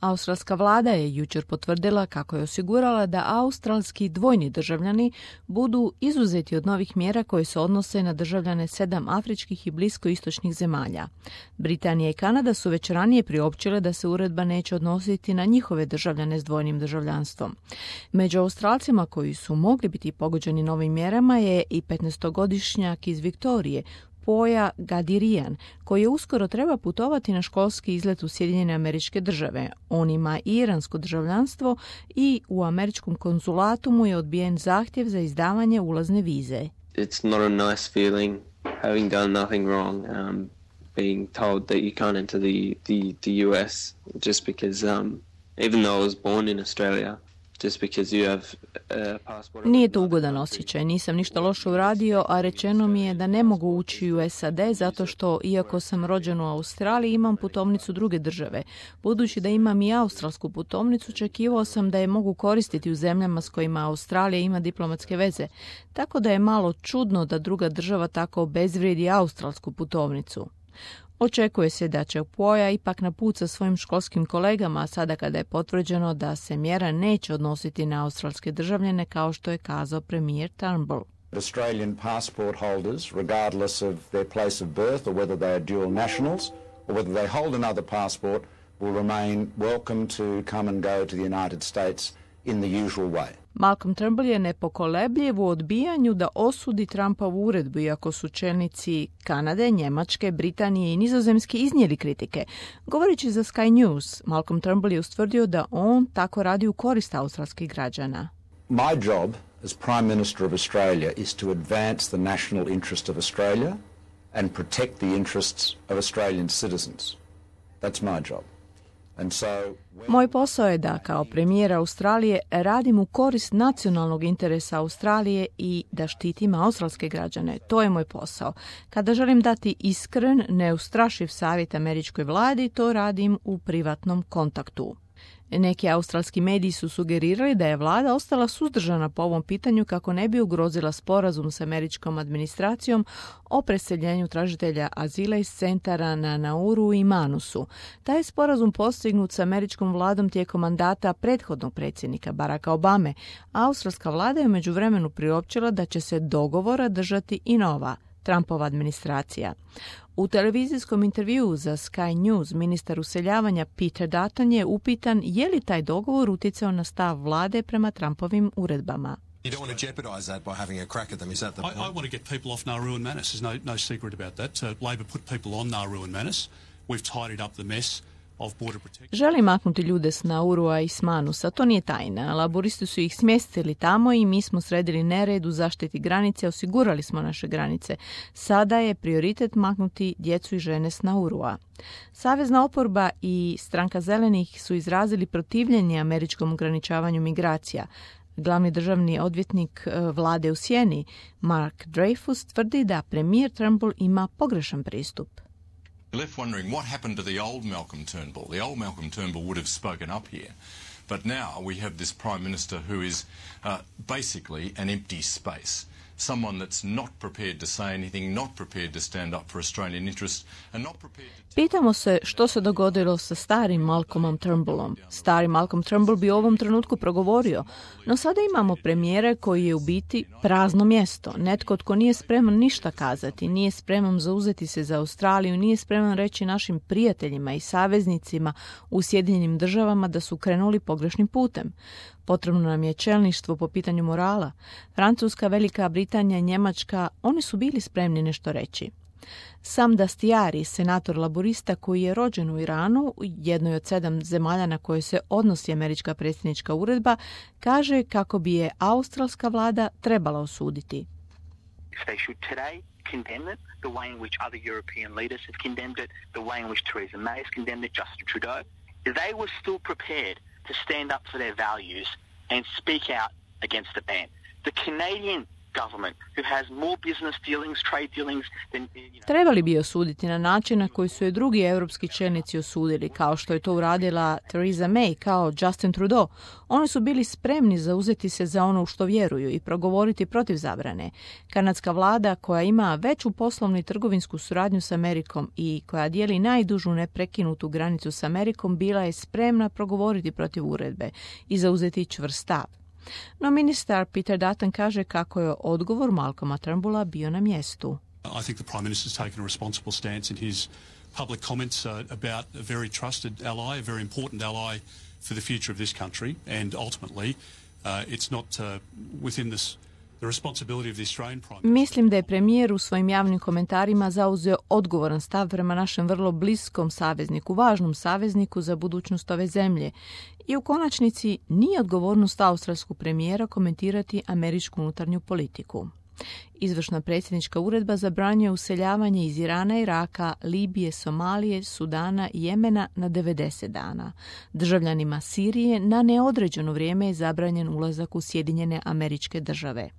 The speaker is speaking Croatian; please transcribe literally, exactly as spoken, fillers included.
Australska vlada je jučer potvrdila kako je osigurala da australski dvojni državljani budu izuzeti od novih mjera koje se odnose na državljane sedam afričkih i bliskoistočnih zemalja. Britanija i Kanada su već ranije priopćile da se uredba neće odnositi na njihove državljane s dvojnim državljanstvom. Među Australcima koji su mogli biti pogođeni novim mjerama je i petnaestogodišnjak iz Viktorije, Poja Gadirian, koji uskoro treba putovati na školski izlet u Sjedinjene Američke Države. On ima iransko državljanstvo i u američkom konzulatu mu je odbijen zahtjev za izdavanje ulazne vize. It's not a nice feeling having done nothing wrong, um, being told that you can't enter the, the, the U S just because um, even though I was born in Australia. Nije to ugodan osjećaj, nisam ništa loše uradio, a rečeno mi je da ne mogu ući u S A D zato što, iako sam rođen u Australiji, imam putovnicu druge države. Budući da imam i australsku putovnicu, očekivao sam da je mogu koristiti u zemljama s kojima Australija ima diplomatske veze. Tako da je malo čudno da druga država tako obezvrijedi australsku putovnicu. Očekuje se da će Poja ipak na put sa svojim školskim kolegama, sada kada je potvrđeno da se mjera neće odnositi na australske državljane, kao što je kazao premijer Turnbull. Australian passport holders, regardless of their place of birth or whether they are dual nationals or whether they hold another passport, will remain welcome to come and go to the United States in the usual way. Malcolm Turnbull je nepokolebljiv u odbijanju da osudi Trumpovu uredbu, iako su čelnici Kanade, Njemačke, Britanije i Nizozemske iznijeli kritike. Govoreći za Sky News, Malcolm Turnbull je ustvrdio da on tako radi u korist australskih građana. My job as Prime Minister of Australia is to advance the national interest of Australia and protect the interests of Australian citizens. That's my job. Moj posao je da kao premijer Australije radim u korist nacionalnog interesa Australije i da štitim australske građane. To je moj posao. Kada želim dati iskren, neustrašiv savjet američkoj vladi, to radim u privatnom kontaktu. Neki australski mediji su sugerirali da je vlada ostala suzdržana po ovom pitanju kako ne bi ugrozila sporazum s američkom administracijom o preseljenju tražitelja azila iz centara na Nauru i Manusu. Taj je sporazum postignut s američkom vladom tijekom mandata prethodnog predsjednika Baracka Obame. Australska vlada je u međuvremenu priopćila da će se dogovora držati i nova Trumpova administracija. U televizijskom intervjuu za Sky News ministar useljavanja Peter Dutton je upitan je li taj dogovor utjecao na stav vlade prema Trumpovim uredbama. You don't want to jeopardise that by having a crack at them, is that the point? I, I want to get people off Nauru and Manus. There's no, no secret about that. Uh, Labor put people on Nauru and Manus. We've tidied up the mess. Želi maknuti ljude s Naurua i s Manusa, to nije tajna. Laboristi su ih smjestili tamo i mi smo sredili nered u zaštiti granice, osigurali smo naše granice. Sada je prioritet maknuti djecu i žene s Naurua. Savezna oporba i stranka zelenih su izrazili protivljenje američkom ograničavanju migracija. Glavni državni odvjetnik vlade u sjeni, Mark Dreyfus, tvrdi da premijer Turnbull ima pogrešan pristup. Left wondering what happened to the old Malcolm Turnbull. The old Malcolm Turnbull would have spoken up here. But now we have this Prime Minister who is uh, basically an empty space. Someone that's not prepared to say anything, not prepared to stand up for Australian interests, and not prepared to... Pitamo se što se dogodilo sa starim Malcolmom Turnbullom. Stari Malcolm Turnbull bi u ovom trenutku progovorio, no sada imamo premijera koji je u biti prazno mjesto. Netko tko nije spreman ništa kazati, nije spreman zauzeti se za Australiju, nije spreman reći našim prijateljima i saveznicima u Sjedinjenim državama da su krenuli pogrešnim putem. Potrebno nam je čelništvo po pitanju morala. Francuska, Velika Britanija i Njemačka, oni su bili spremni nešto reći. Sam Dastiari, senator laborista koji je rođen u Iranu, jednoj od sedam zemalja na koje se odnosi američka predsjednička uredba, kaže kako bi je australska vlada trebala osuditi. They should today condemn it the way in which other European leaders have condemned it, the way in which Theresa May has condemned it, Justin Trudeau. They were still prepared to stand up for their values and speak out against the ban. The Canadian government who has more business dealings, trade dealings than, you know... Trebali bi osuditi na način na koji su je drugi europski čelnici osudili, kao što je to uradila Theresa May kao Justin Trudeau. Oni su bili spremni zauzeti se za ono u što vjeruju i progovoriti protiv zabrane. Kanadska vlada, koja ima veću poslovnu i trgovinsku suradnju s Amerikom i koja dijeli najdužu neprekinutu granicu s Amerikom, bila je spremna progovoriti protiv uredbe i zauzeti čvrst stav. No ministar Peter Dutton kaže kako je odgovor Malcolma Turnbulla bio na mjestu. I think the Prime Minister's taken a responsible stance in his public comments uh, about a very trusted ally, a very important ally for the future of this country, and ultimately uh, it's not uh, within this the responsibility of the Australian Prime Minister. Mislim da je premijer u svojim javnim komentarima zauzeo odgovoran stav prema našem vrlo bliskom savezniku, važnom savezniku za budućnost ove zemlje. I u konačnici nije odgovornost australskog premijera komentirati američku unutarnju politiku. Izvršna predsjednička uredba zabranjuje useljavanje iz Irana, Iraka, Libije, Somalije, Sudana i Jemena na devedeset dana. Državljanima Sirije na neodređeno vrijeme je zabranjen ulazak u Sjedinjene Američke Države.